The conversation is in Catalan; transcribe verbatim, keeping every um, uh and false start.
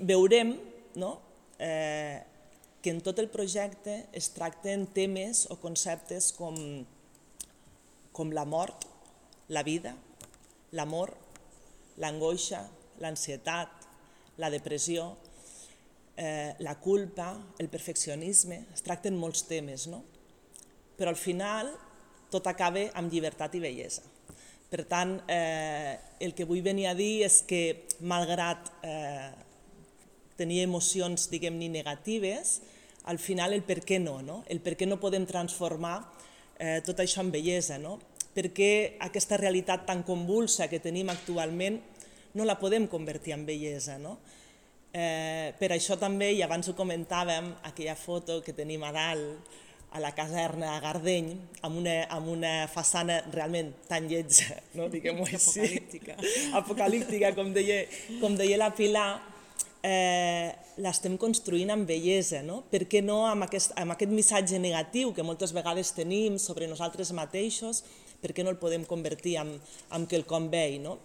veurem no? eh, que en tot el projecte es tracten temes o conceptes com, com la mort, la vida, l'amor, l'angoixa, l'ansietat, la depressió, eh, la culpa, el perfeccionisme, es tracten molts temes, no? Però al final tot acaba amb llibertat i bellesa. Per tant, eh, el que vull venir a dir és que, malgrat eh, tenir emocions, diguem-ne, negatives, al final el per què no, no? El per què no podem transformar eh, tot això en bellesa, no? Per què aquesta realitat tan convulsa que tenim actualment no la podem convertir en bellesa, no? Eh, per això també, i abans ho comentàvem, aquella foto que tenim a dalt, a la caserna a Gardeny, amb una, amb una façana realment tan lletja, no? Diguem-ho així, apocalíptica, apocalíptica com, deia, com deia la Pilar, eh, l'estem construint amb bellesa, no? Per què no amb aquest, amb aquest missatge negatiu que moltes vegades tenim sobre nosaltres mateixos, per què no el podem convertir en, en quelcom bell, no?